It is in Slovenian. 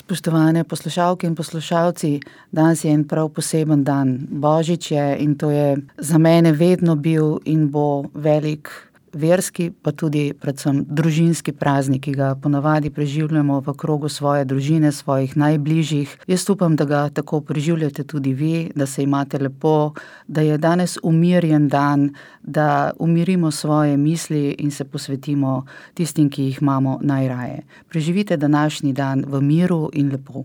Spoštovane poslušalke in poslušalci, danes je en prav poseben dan. Božič je in to je za mene vedno bil in bo velik verski, pa tudi predvsem družinski praznik, ki ga ponavadi preživljamo v krogu svoje družine, svojih najbližjih. Jaz upam, da ga tako preživljate tudi vi, da se imate lepo, da je danes umirjen dan, da umirimo svoje misli in se posvetimo tistim, ki jih imamo najraje. Preživite današnji dan v miru in lepo.